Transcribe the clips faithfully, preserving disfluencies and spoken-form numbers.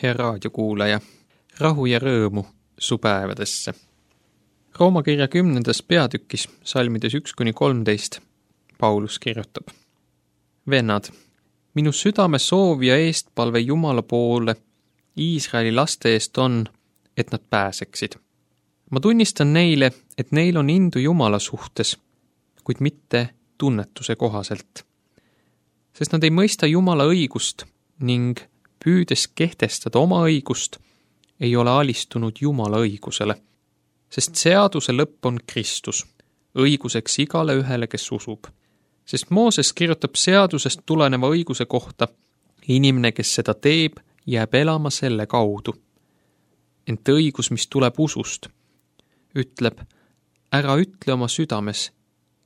Hea raadiokuulaja, rahu ja rõõmu su päevadesse. Rooma kirja kümnendas peatükis, salmides üks kuni kolmteist, Paulus kirjutab. Vennad, minu südame soov ja eestpalve Jumala poole Iisraeli laste eest on, et nad pääseksid. Ma tunnistan neile, et neil on indu Jumala suhtes, kuid mitte tunnetuse kohaselt. Sest nad ei mõista Jumala õigust ning püüdes kehtestada oma õigust, ei ole alistunud Jumala õigusele, sest seaduse lõpp on Kristus, õiguseks igale ühele, kes usub. Sest Mooses kirjutab seadusest tuleneva õiguse kohta, inimene, kes seda teeb, jääb elama selle kaudu. Ent õigus, mis tuleb usust, ütleb, ära ütle oma südames,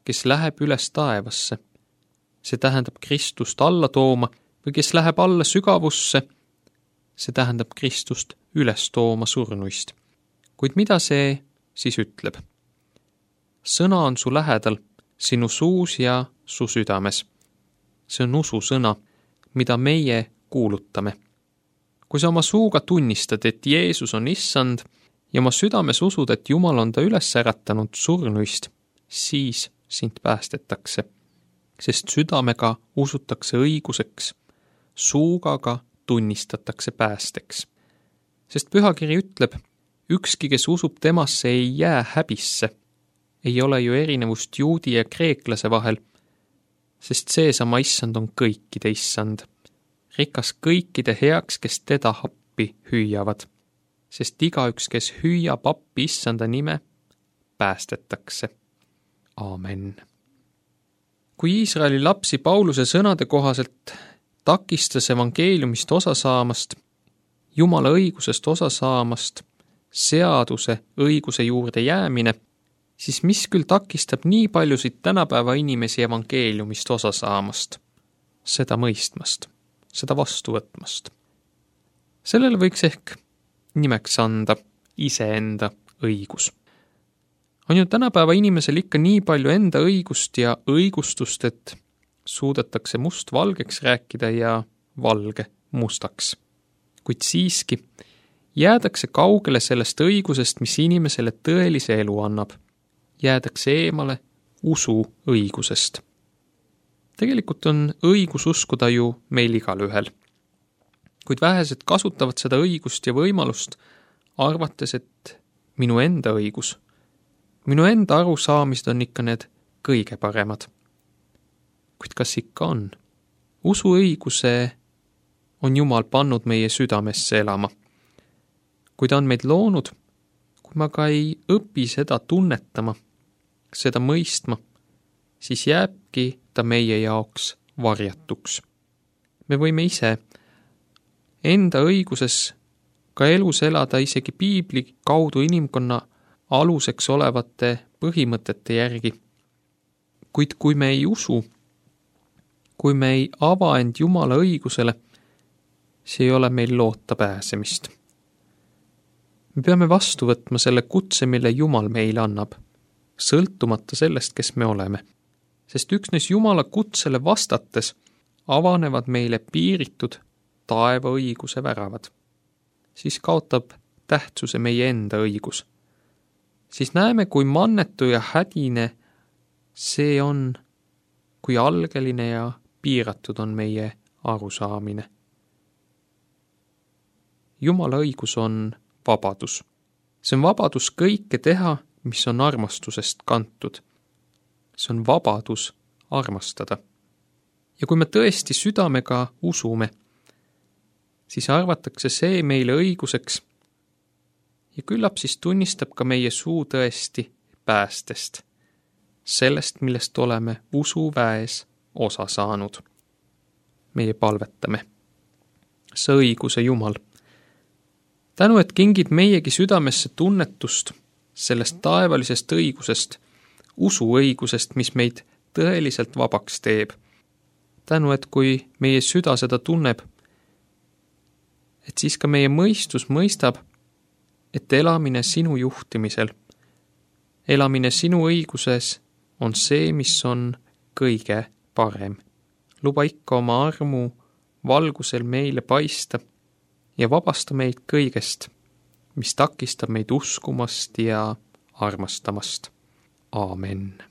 kes läheb üles taevasse. See tähendab Kristust alla tooma või kes läheb alla sügavusse, see tähendab Kristust üles tooma surnuist. Kuid mida see siis ütleb? Sõna on su lähedal, sinu suus ja su südames. See on usu sõna, mida meie kuulutame. Kui sa oma suuga tunnistad, et Jeesus on issand ja oma südames usud, et Jumal on ta üles äratanud surnuist, siis sind päästetakse. Sest südamega usutakse õiguseks, suuga ka tunnistatakse päästeks. Sest pühakiri ütleb, ükski, kes usub temasse, ei jää häbisse. Ei ole ju erinevust juudi ja kreeklase vahel, sest seesama issand on kõikide issand. Rikas kõikide heaks, kes teda appi hüüavad, sest igaüks, kes hüüab appi issanda nime, päästetakse. Aamen. Kui Iisraeli lapsi Pauluse sõnade kohaselt takistas evangeeliumist osa saamast, Jumala õigusest osa saamast, seaduse õiguse juurde jäämine, siis mis küll takistab nii paljusid tänapäeva inimesi evangeeliumist osa saamast, seda mõistmast, seda vastu võtmast. Sellele võiks ehk nimeks anda iseenda õigus. On ju tänapäeva inimesel ikka nii palju enda õigust ja õigustust, et suudetakse must valgeks rääkida ja valge mustaks. Kuid siiski jäädakse kaugele sellest õigusest, mis inimesele tõelise elu annab. Jäädakse eemale usu õigusest. Tegelikult on õigus uskuda ju meil igal ühel. Kuid vähesed kasutavad seda õigust ja võimalust, arvates, et minu enda õigus, minu enda arusaamised on ikka need kõige paremad. Kuid kas ikka on? Usu õiguse on Jumal pannud meie südamesse elama. Kui ta on meid loonud, kui ma ka ei õpi seda tunnetama, seda mõistma, siis jääbki ta meie jaoks varjatuks. Me võime ise enda õiguses ka elus elada isegi piibli kaudu inimkonna aluseks olevate põhimõtete järgi. Kuid kui me ei usu, kui me ei ava end Jumala õigusele, see ei ole meil loota pääsemist. Me peame vastu võtma selle kutse, mille Jumal meile annab, sõltumata sellest, kes me oleme. Sest üksnes Jumala kutsele vastates avanevad meile piiritud taeva õiguse väravad. Siis kaotab tähtsuse meie enda õigus. Siis näeme, kui mannetu ja hädine see on, kui algeline ja piiratud on meie arusaamine. Jumala õigus on vabadus. See on vabadus kõike teha, mis on armastusest kantud. See on vabadus armastada. Ja kui me tõesti südamega usume, siis arvatakse see meile õiguseks ja küllap siis tunnistab ka meie suu tõesti päästest, sellest, millest oleme usuväes osa saanud. Meie palvetame. See õiguse Jumal. Tänu, et kingid meiegi südamesse tunnetust sellest taevalisest õigusest, usu õigusest, mis meid tõeliselt vabaks teeb. Tänu, et kui meie süda seda tunneb, et siis ka meie mõistus mõistab, et elamine sinu juhtimisel, elamine sinu õiguses on see, mis on kõige parem. Luba ikka oma armu valgusel meile paista ja vabasta meid kõigest, mis takistab meid uskumast ja armastamast. Aamen.